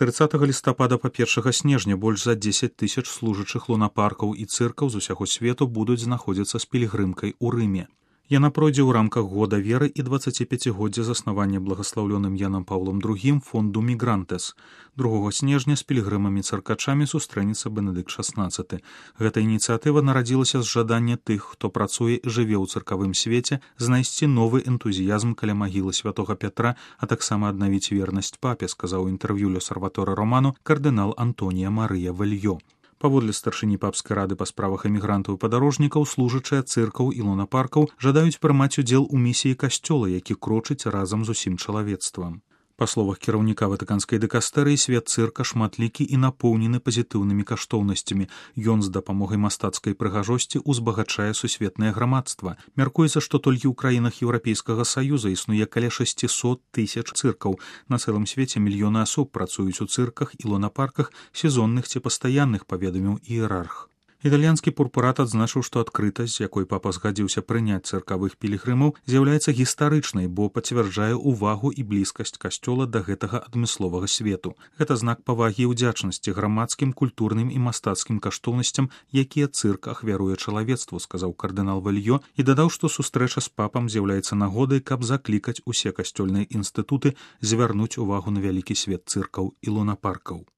30 лістапада па 1 снежня больш за 10 тысяч служачых лунапаркаў і цыркаў з усяго свету будуць знаходзіцца з пілігрымкай у Рыме. Яна пройдзе ў рамках года веры і 25годдзя заснавання благаслаўлёным Янам Паўлом II фонду Мігрантес. 2 снежня з пілігрымамі-цыркачамі сустрэнецца Бенедыкт XVI. Гэта ініцыятыва нарадзілася з жадання тых, хто працуе і жыве ў цыркавым свеце, знайсці новы энтузіязм каля магілы святога Пятра, а таксама аднавіць вернасць папе, сказаў у інтэрв'ю L'Osservatore Romano кардынал Антонія Марыя Вельё. Паводле старшыні папскай рады па справах эмігрантаў і падарожнікаў, служачыя цыркаў і лунапаркаў жадаюць прымаць удзел у місіі касцёла, які крочыць разам з усім чалавецтвам. Па словах кіраўніка ватыканскай дыкастэрыі, свет цырка шматлікі і напоўнены пазітыўнымі каштоўнасцямі. Ён з дапамогай мастацкай прыгажосці ўзбагачае сусветнае грамадства. Мяркуецца, што толькі ў краінах Еўрапейскага Саюза існуе каля 600 тысяч цыркаў. На цэлым свеце мільёны асоб працуюць у цырках і лунапарках, сезонных ці пастаянных, паведаміў іерарх. Італьянскі пурпурат адзначыў, што адкрытасць, з якой папа згадзіўся прыняць цыркавых пілігрымаў, з'яўляецца гістарычнай, бо пацвярджае ўвагу і блізкасць касцёла да гэтага адмысловага свету. Гэта знак павагі і ўдзячнасці грамадскім, культурным і мастацкім каштоўнасцям, якія цырк ахвяруе чалавецтву, сказаў кардынал Вельё і дадаў, што сустрэча з папам з'яўляецца нагодай, каб заклікаць усе касцёльныя інстытуты звярнуць увагу на вялікі свет цыркаў і лунапаркаў.